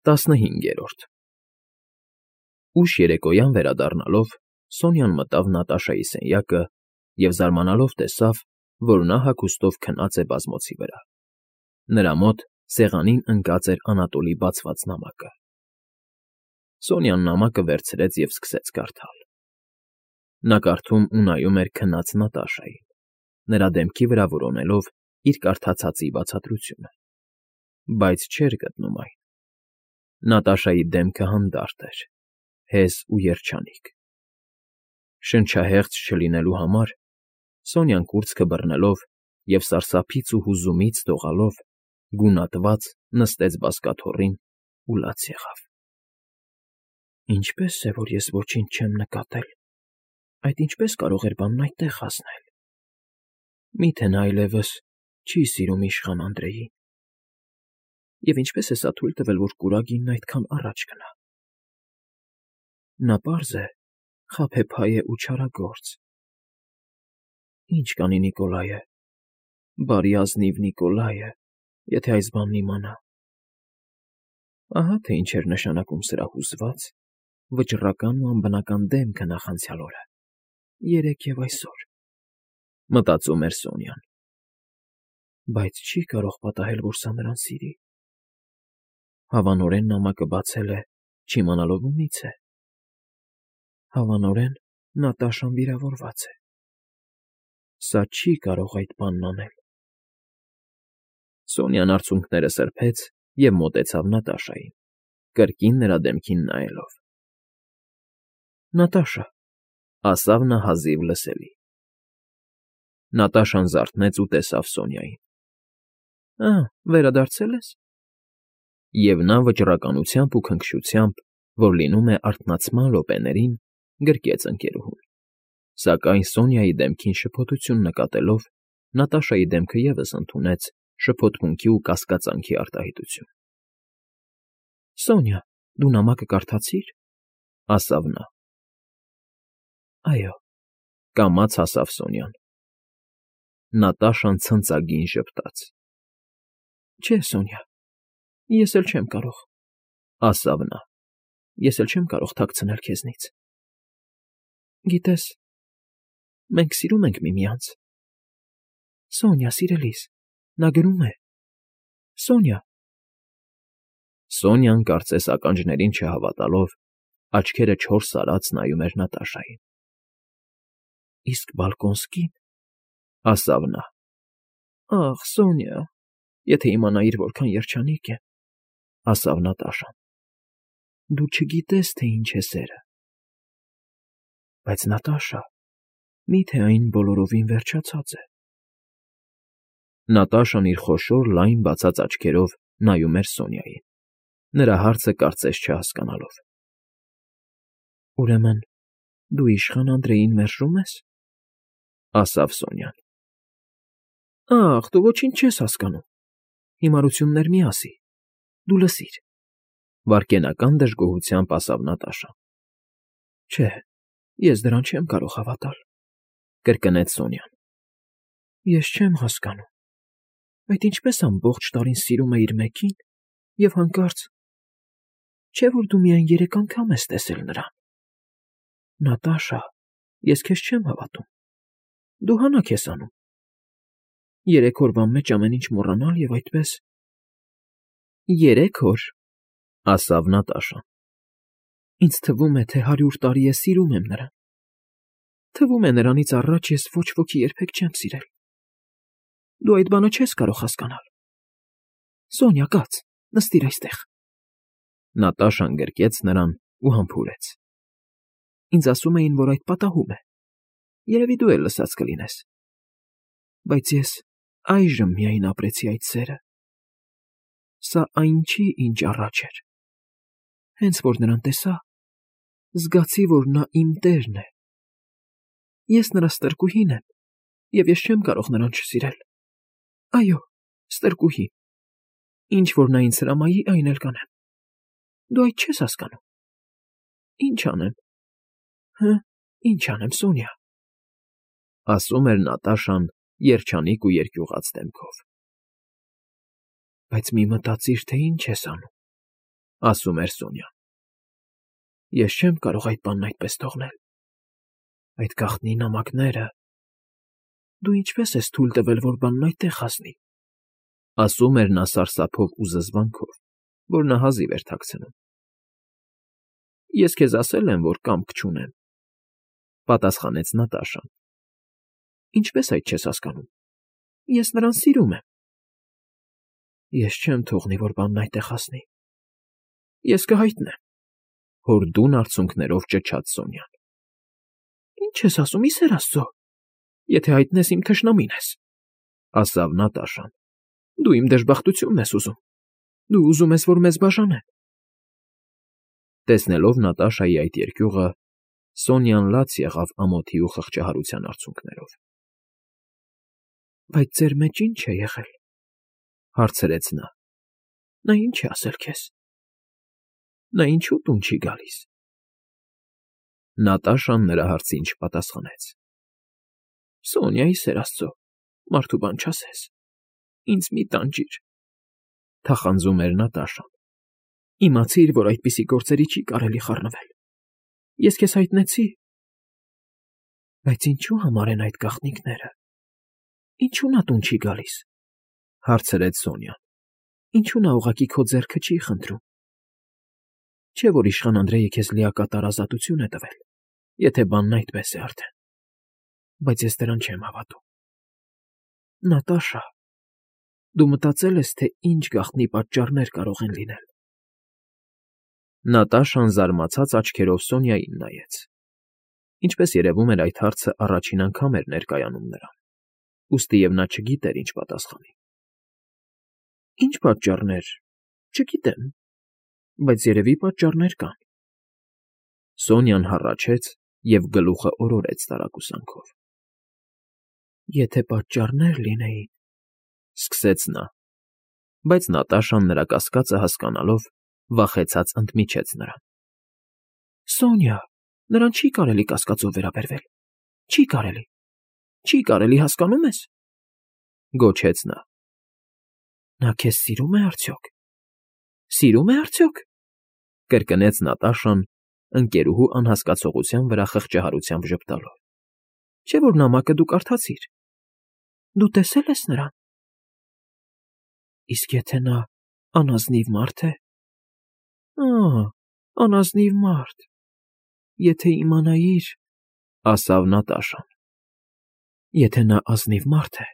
15 Ուշ երեկոյան վերադառնալով Սոնյան մտավ Նատաշայի սենյակը և զարմանալով տեսավ, որ նա հագուստով քնած է բազմոցի վրա. նրա մոտ սեղանին ընկած էր Անատոլի բացված նամակը։ Սոնյան նամակը վերցրեց և սկսեց կարդալ։ Նա կարդում ու նայում էր քնած Նատաշային, նրա դեմքի վրա որոնելով իր կարդացածի բացատրությունը, բայց չէր գտնում այն։ Նատաշայի դեմքը հանդարտ էր, հեզ ու երջանիկ։ Շնչահեղձ չլինելու համար Սոնյան կուրծքը բռնելով և սարսափից ու հուզումից դողալով, գունատված նստեց բազկաթոռին ու լաց եղավ։ Ինչպե՞ս է, որ ես ոչինչ չեմ նկատել, այդ ինչպե՞ս կարող էր բանն այդտեղ հասնել։ Միթե նա այլևս չի սիրում իշխան Անդրեյին։ Եվ ինչպե՞ս է սա թույլ տվել, որ կուրագինն այդքան առաջ գնա։ Նա պարզ է, խաբեբայ է ու չարագործ։ Ինչ կանի Նիկոլայը, բարի ազնիվ Նիկոլայը, եթե այս բանն իմանա։ Ահա թե ինչ էր նշանակում սրա հուզված, վճռական ու անբնական դեմքը նախանցյալ օրը, երեկ և այսօր, մտածում էր Սոնյան։ Բայց չի կարող պատահել, որ սա նրան սիրի։ Հավանորեն նամակը բացել է, չիմանալով ումից է։ Հավանորեն Նատաշան վիրավորված է։ Սա չի կարող այդ բանն անել։ Սոնյան արցունքները սրբեց և մոտեցավ Նատաշային, կրկին նրա դեմքին նայելով։ Նատաշա, ասավ նա հազիվ լսելի։ Նատաշան զարթնեց ու տեսավ Սոնյային։ Վերադարձել ես։ Եվ նա վճռականությամբ ու քնքշությամբ, որ լինում է արթնացման րոպեներին, գրկեց ընկերուհուն, սակայն Սոնյայի դեմքին շփոթություն նկատելով, Նատաշայի դեմքը ևս ընդունեց շփոթմունքի ու կասկածանքի արտահայտություն։ Սոնյա, դու նամակը կարդացի՞ր, ասավ նա։ Այո, կամաց ասավ Սոնյան։ Նատաշան ցնծագին ժպտաց։ Չէ, Սոնյա, ես էլ չեմ կարող, ասավ նա, ես էլ չեմ կարող թաքցնել քեզնից։ Գիտես, մենք սիրում ենք միմյանց։ Սոնյա, սիրելիս, նա գրում է։ Սոնյա։ Սոնյան, կարծես ականջներին չհավատալով, աչքերը չորս արած նայում էր Նատաշային։ Իսկ Բալկոնսկին, ասավ նա։ Ախ, Սոնյա, եթե իմանայիր, որքան երջանիկ եմ, ասավ Նատաշան։ Դու չգիտես, թե ինչ է սերը։ Բայց Նատաշա, միթե այն բոլորովին վերջացած է։ Նատաշան իր խոշոր լայն բացած աչքերով նայում էր Սոնյային, նրա հարցը կարծես չհասկանալով։ Ուրեմն դու իշխան Անդրեյին մերժում ես, ասավ Սոնյան։ Ախ, դու ոչինչ չես հասկանում։ Հիմարություններ մի ասի, դու լսիր, վայրկենական դժգոհությամբ ասավ Նատաշան։ Չէ, ես դրան չեմ կարող հավատալ, կրկնեց Սոնյան։ Ես չեմ հասկանում, այդ ինչպես ամբողջ տարին սիրում է իր մեկին և հանկարծ, չէ՞ որ դու միայն 3 անգամ ես տեսել նրան։ Նատաշա, ես քեզ չեմ հավատում։ Դու հանաք ես անում։ 3 օրվա մեջ ամեն ինչ մոռանալ և այդպես։ 3 օր, ասավ Նատաշան։ Ինձ թվում է, թե 100 տարի է սիրում եմ նրան։ Թվում է նրանից առաջ ես ոչ ոքի երբեք չեմ սիրել։ Դու այդ բանը չես կարող հասկանալ։ Սոնյա, կաց, նստիր այստեղ։ Նատաշան գրկեց նրան ու համբուրեց։ Ինձ ասում էին, որ այդ պատահում է։ Երևի դու էլ լսած կլինես։ Բայց ես այժմ միայն ապրեցի այդ սերը։ Սա այն չի, ինչ առաջ էր։ Հենց որ նրան տեսա, զգացի, որ նա իմ տերն է։ Ես նրա ստրկուհին եմ, և ես չեմ կարող նրան չսիրել։ Այո, ստրկուհի։ Ինչ որ նա ինձ հրամայի, այն էլ կանեմ։ Դու այդ չես հասկանում։ Ինչ անեմ։ Ինչ անեմ, Սոնյա, ասում էր Նատաշան երջանիկ ու երկյուղած դեմքով։ Բայց մի մտածիր, թե ինչ ես անում։ ասում էր Սոնյան։ Ես չեմ կարող այդ բանն այդպես թողնել։ Այդ գաղտնի նամակները… Դու ինչպես ես թույլ տվել, որ բանն այդտեղ հասնի, ասում էր նա սարսափով ու զզվանքով, որ նա հազիվ էր թաքցնում։ Ես քեզ ասել եմ, որ կամք չունեմ, պատասխանեց Նատաշան։ Ինչպես այդ չես հասկանում։ Ես նրան սիրում եմ։ Ես չեմ թողնի, որ բանն այդտեղ հասնի։ Ես կհայտնեմ, հորդուն արցունքներով ճչաց Սոնյան։ Ինչ ես ասում, ի սեր Աստծո, եթե հայտնես իմ թշնամին ես, ասավ Նատաշան։ Դու իմ դժբախտությունն ես ուզում։ Դու ուզում ես, որ մեզ բաժանեն։ Տեսնելով Նատաշայի այդ երկյուղը, Սոնյան լաց եղավ ամոթի ու խղճահարության արցունքներով։ Բայց ձեր մեջ ի՞նչ է եղել, հարցրեց նա։ Նա ի՞նչ է ասել քեզ։ Նա ինչու տուն չի գալիս։ Նատաշան նրա հարցին չպատասխանեց։ Սոնյա, ի սեր Աստծո, մարդու բան չասես։ Ինձ մի տանջիր, թախանձում էր Նատաշան։ Իմացիր, որ այդպիսի գործերի չի կարելի խառնվել։ Ես քեզ հայտնեցի։ Բայց ինչու համար են այդ գաղտնիքները։ Ինչու նա տուն չի գալիս, հարցրեց Սոնյան։ Ինչու նա ուղղակի քո ձեռքը չի խնդրում։ Չէ՞ որ իշխան Անդրեյը քեզ լիակատար ազատություն է տվել, եթե բանն այդպես է արդեն։ Բայց ես դրան չեմ հավատում։ Նատաշա, դու մտածել ես, թե ինչ գաղտնի պատճառներ կարող են լինել։ Նատաշան զարմացած աչքերով Սոնյային նայեց։ Ինչպես երևում էր, այդ հարցը առաջին անգամ էր ներկայանում նրան, ուստի և նա չգիտեր ինչ պատասխանի։ Ինչ պատճառներ, չգիտեմ, բայց երևի պատճառներ կան։ Սոնյան հառաչեց և գլուխը օրորեց տարակուսանքով։ Եթե պատճառներ լինեին, սկսեց նա, բայց Նատաշան նրա կասկածը հասկանալով, վախեցած ընդմիջեց նրան։ Սոնյա, նրան չի կարելի կասկածով վերաբերվել։ Չի կարելի։ Չի կարելի, հասկանում ես, գոչեց նա։ Նա քեզ սիրում է արդյոք։ Սիրում է արդյոք, կրկնեց Նատաշան, ընկերուհու անհասկացողության վրա խղճահարությամբ ժպտալով։ Չէ՞ որ նամակը դու կարդացիր։ Դու տեսել ես նրան։ Իսկ եթե նա անազնիվ մարդ է։ Անազնիվ մարդ։ Եթե իմանայիր, ասավ Նատաշան։ Եթե նա ազնիվ մարդ է,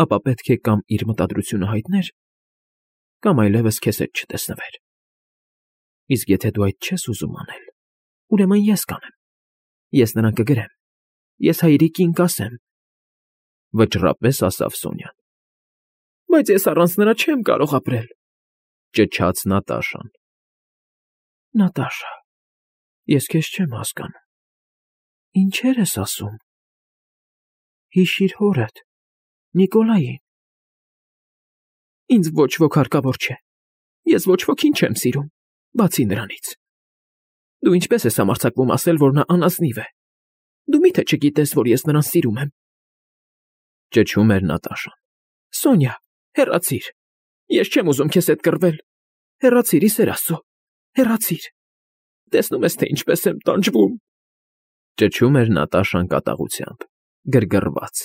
ապա պետք է կամ իր մտադրությունը հայտներ, կամ այլևս քեզ հետ չտեսնվեր։ Իսկ եթե դու այդ չես ուզում անել, ուրեմն ես կանեմ։ Ես նրան կգրեմ։ Ես հայրիկին կասեմ, վճռապես ասավ Սոնյան։ Բայց ես առանց նրա չեմ կարող ապրել, ճչաց Նատաշան։ Նատաշա, ես քեզ չեմ հասկանում։ Ինչեր ես ասում։ Հիշիր հորդ, Նիկոլային։ Ինձ ոչ ոք հարկավոր չէ։ Ես ոչ ոքին չեմ սիրում, բացի նրանից։ Դու ինչպես ես համարձակվում ասել, որ նա անազնիվ է։ Դու մի՞թե չգիտես, որ ես նրան սիրում եմ։ Ճչում էր Նատաշան։ Սոնյա, հեռացիր։ Ես չեմ ուզում քեզ հետ կռվել։ Հեռացիր, ի սեր Աստծո, հեռացիր։ Տեսնում ես, թե ինչպես եմ տանջվում։ Ճչում էր Նատաշան կատաղությամբ, գրգռված,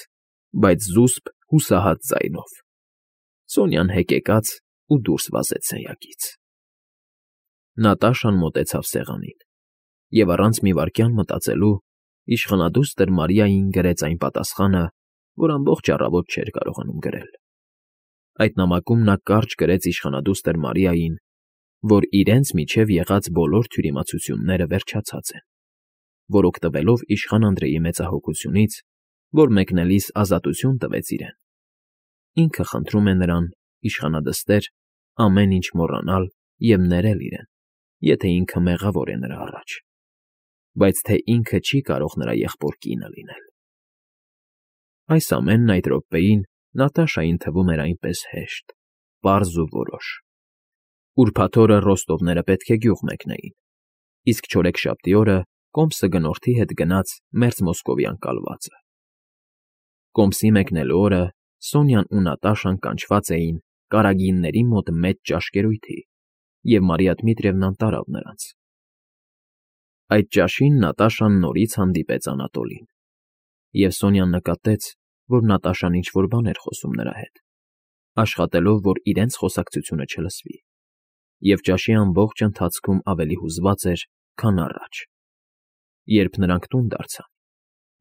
բայց զուսպ հուսահատ ձայնով։ Սոնյան հեկեկաց ու դուրս վազեց սենյակից։ Նատաշան մոտեցավ սեղանին և առանց մի վայրկյան մտածելու իշխանադուստր Մարիային գրեց այն պատասխանը, որ ամբողջ առավոտ չէր կարողանում գրել։ Այդ նամակում նա կարճ գրեց իշխանադուստր Մարիային, որ իրենց միջև եղած բոլոր թյուրիմացությունները վերջացած են, որ օգտվելով իշխան Անդրեյի մեծահոգությունից, որ մեկնելիս ազատություն տվեց իրեն, ինքը խնդրում է նրան, իշխանադստեր, ամեն ինչ մոռանալ և ներել իրեն, եթե ինքը մեղավոր է նրա առաջ, բայց թե ինքը չի կարող նրա եղբոր կինը լինել։ Այս ամենն այդ րոպեին Նատաշային թվում էր այնպես հեշտ, պարզ ու որոշ։ Ուրբաթ օրը Ռոստովները պետք է գյուղ մեկնեին, իսկ չորեքշաբթի օրը կոմսը գնորդի հետ գնաց մերձ Մոսկովյան կալվածը։ Կոմսի մեկնելու օրը Սոնյան ու Նատաշան կանչված էին Կարագինների մոտ մեծ ճաշկերույթի, և Մարիա Դմիտրիևնան տարավ նրանց։ Այդ ճաշին Նատաշան նորից հանդիպեց Անատոլին, և Սոնյան նկատեց, որ Նատաշան ինչ֊որ բան էր խոսում նրա հետ, աշխատելով, որ իրենց խոսակցությունը չլսվի, և ճաշի ամբողջ ընթացքում ավելի հուզված էր, քան առաջ։ Երբ նրանք տուն դարձան,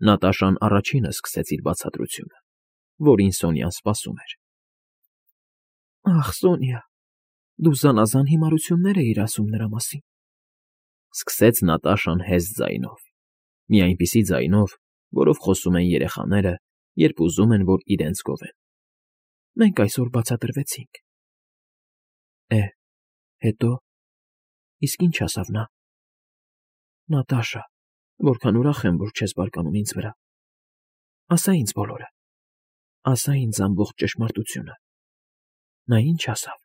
Նատաշան առաջինը սկսեց իր բացատրությունը, որին Սոնյան սպասում էր։ «Ախ, Սոնյա, դու զանազան հիմարություններ էիր ասում նրա մասին», սկսեց Նատաշան հեզտ ձայնով, մի այնպիսի ձայնով, որով խոսում են երեխաները, երբ ուզում են, որ իրենց գովեն։ «Մենք այսօր բացատրվեցինք»։ Հետո, իսկ ինչ ասավ նա։ «Նատաշա, որքան ուրախ եմ, որ չես բարկանում ինձ վրա։ Ասա ինձ բոլորը, ասա ինձ ամբողջ ճշմարտությունը։ Նա ինչ ասավ»։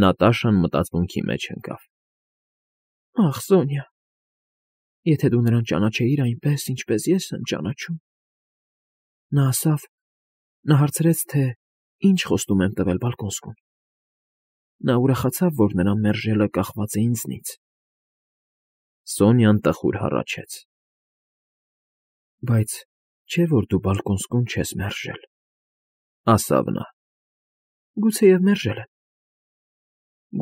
Նատաշան մտածմունքի մեջ ընկավ։ «Ախ, Սոնյա, եթե դու նրան ճանաչեիր այնպես, ինչպես ես եմ ճանաչում»։ Նա հարցրեց, թե ինչ խոստում եմ տվել Բալկոնսկուն։ Նա ուրախացավ, որ նրա մերժելը կախված է ինձնից։ Սոնյան տխուր հառաչեց։ «Բայց չէ՞ որ դու Բալկոնսկուն չես մերժել», ասավ նա։ «Գուցեև մերժել եմ։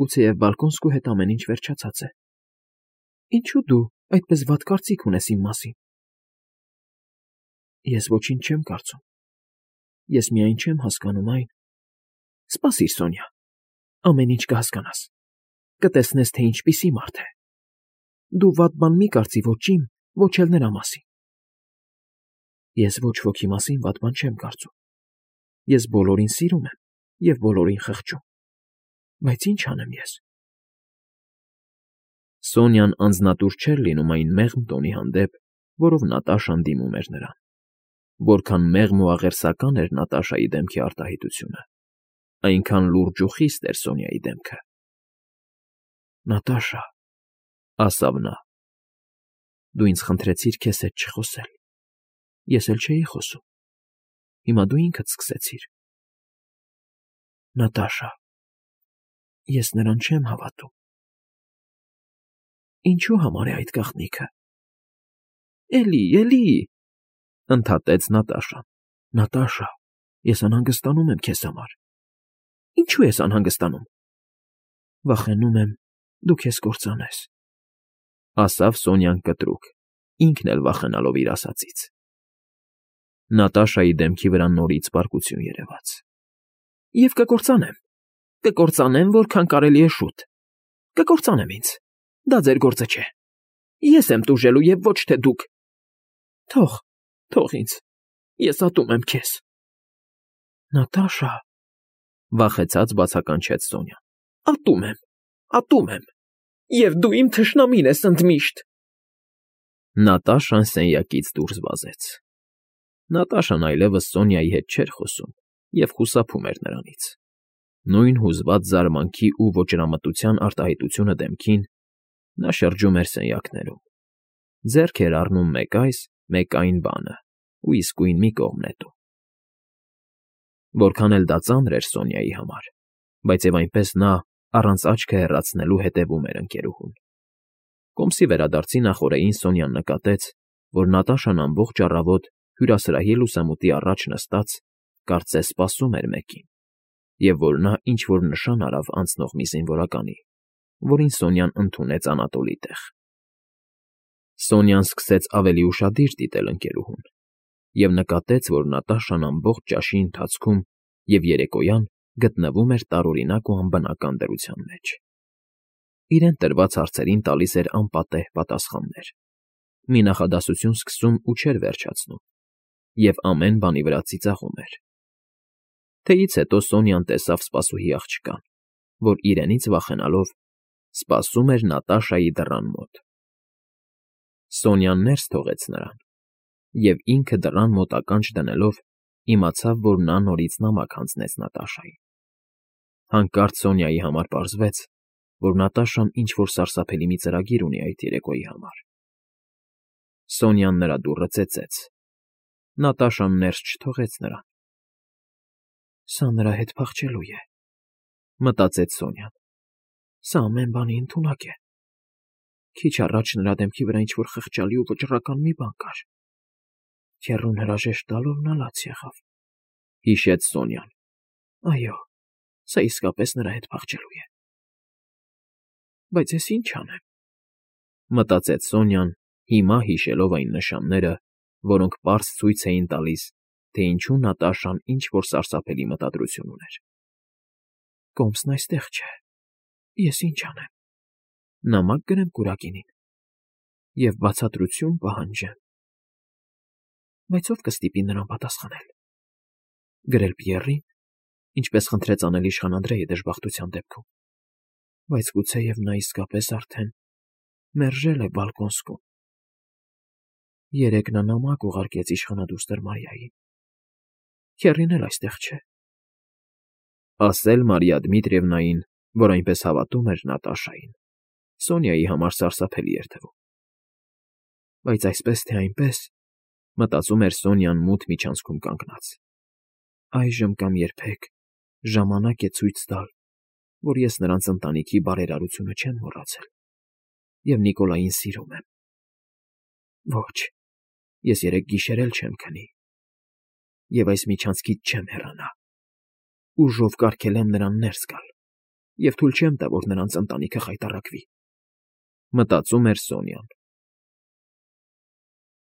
Գուցեև Բալկոնսկու հետ ամեն ինչ վերջացած է։ Ինչո՞ւ դու այդպես վատ կարծիք ունես իմ մասին»։ «Ես ոչինչ չեմ կարծում։ Ես միայն չեմ հասկանում այն…» «Սպասիր, Սոնյա, ամեն ինչ կհասկանաս, կտեսնես, թե ինչպիսի մարդ է։ Դու վատ բան մի կարծի ոչ իմ, ոչ էլ նրա մասին»։ «Ես ոչ ոքի մասին վատ բան չեմ կարծում։ Ես բոլորին սիրում եմ և բոլորին խղճում։ Բայց ինչ անեմ ես»։ Սոնյան անձնատուր չէր լինում այն մեղմ տոնի հանդեպ, որով Նատաշան դիմում էր նրան։ Որքան մեղմ ու աղերսական էր Նատաշայի դեմքի արտահայտությունը, այնքան լուրջ ու խիստ էր Սոնյայի դեմքը։ «Նատաշա», ասավ նա, «դու ինձ խնդրեցիր քեզ հետ չխոսել։ Ես էլ չէի խոսում։ Հիմա դու ինքդ սկսեցիր»։ «Նատաշա, ես նրան չեմ հավատում»։ «Ինչու համար է այդ գաղտնիքը»։ Էլի, ընդհատեց Նատաշան։ «Նատաշա, ես անհանգստանում եմ քեզ համար»։ «Ինչու ես անհանգստանում»։ «Վախենում եմ, դու քեզ կործանես», ասավ Սոնյան կտրուկ, ինքն էլ վախենալով իր ասածից։ Նատաշայի դեմքի վրա նորից պարկություն երևաց։ «Եվ կկործանեմ, որքան կարելի է շուտ։ Կկործանեմ ինձ, դա ձեր գործը չէ։ Ես եմ տուժելու և ոչ թե դուք։ Թող ինձ, ես ատում եմ քեզ»։ «Նատաշա», վախեցած բացականչեց Սոնյան։ Ատում եմ, և դու իմ թշնամին ես ընդմիշտ»։ Նատաշան սենյակից դուրս վազեց։ Նատաշան այլևս Սոնյայի հետ չէր խոսում և խուսափում էր նրանից։ Նույն հուզված զարմանքի ու ոճրամտության արտահայտությունը դեմքին, նա շրջում էր սենյակներում, ձեռք էր առնում մեկ այս, մեկ այն բանը ու իսկույն մի կողմ նետում։ Որքան էլ դա ծանր էր Սոնյայի համար, բայց և այնպես նա, առանց աչքը հեռացնելու, հետևում էր ընկերուհուն։ Կոմսի վերադարձի նախօրեին Սոնյան նկատեց, որ Նատաշան ամբողջ առավոտ հյուրասրահի լուսամուտի առաջ նստած, կարծես սպասում էր մեկին, և որ նա ինչ֊որ նշան արավ անցնող մի զինվորականի, որին Սոնյան ընդունեց Անատոլի տեղ։ Սոնյան սկսեց ավելի ուշադիր դիտել ընկերուհուն և նկատեց, որ Նատաշան ամբողջ ճաշի ընթացքում և երեկոյան գտնվում էր տարօրինակ ու անբնական դրության մեջ։ Իրեն տրված հարցերին տալիս էր անպատեհ պատասխաններ, մի նախադասություն սկսում ու չէր վերջացնում, և ամեն բանի վրա ծիծաղում էր։ Թեից հետո Սոնյան տեսավ սպասուհի աղջկան, որ իրենից վախենալով սպասում էր Նատաշայի դռան մոտ։ Սոնյան ներս թողեց նրան, և ինքը դռան մոտ ականջ դնելով իմացավ, որ նա նորից նամակ հանձնեց Նատաշային։ Հանկարծ Սոնյայի համար պարզվեց, որ Նատաշան ինչ֊որ սարսափելի մի ծրագիր ունի այդ երեկոյի համար։ Սոնյան նրա դուռը ծեծեց։ Նատաշան ներս չթողեց նրան։ «Սա նրա հետ փախչելու է», մտածեց Սոնյան։ Սա ամեն բանի ընդունակ է։ Քիչ առաջ նրա դեմքի վրա ինչ-որ խղճալի ու վճռական մի բան կար։ Քեռուն հրաժեշտ տալով նա լաց եղավ, հիշեց Սոնյան։ Այո, սա իսկապես նրա հետ փախչելու է։ Բայց ես ինչ անեմ, մտածեց Սոնյան, հիմա հիշելով այն նշանները, որոնք պարզ ցույց էին տալիս, թե ինչու Նատաշան ինչ֊որ սարսափելի մտադրություն ուներ։ Կոմսն այստեղ չէ։ Ես ինչ անեմ։ Նամակ գրեմ Կուրակինին և բացատրություն պահանջեմ։ Բայց ով կստիպի նրան պատասխանել։ Գրել Պիեռին, ինչպես խնդրեց անել իշխան Անդրեյը դժբախտության դեպքում։ Բայց գուցեև նա իսկապես արդեն մերժել է Բալկոնսկում։ Երեկ նա նամակ ուղարկեց իշխանադուստր Մարիային։ Քեռին էլ այստեղ չէ։ Ասել Մարիա Դմիտրիևնային, որ այնպես հավատում էր Նատաշային, Սոնյայի համար սարսափելի էր թվում։ Բայց այսպես թե այնպես, մտածում էր Սոնյան մութ միջանցքում կանգնած, այժմ կամ երբեք ժամանակ է ցույց տալ, որ ես նրանց ընտանիքի բարերարությունը չեմ մոռացել և Նիկոլային սիրում եմ։ Ոչ, ես երեկ գիշեր էլ չեմ քնի և այս միջանցքից չեմ հեռանա։ Ուժով կարգել եմ նրան ներս գալ և թույլ չեմ տա, որ նրանց ընտանիքը խայտառակվի։ Մտածում էր Սոնյան։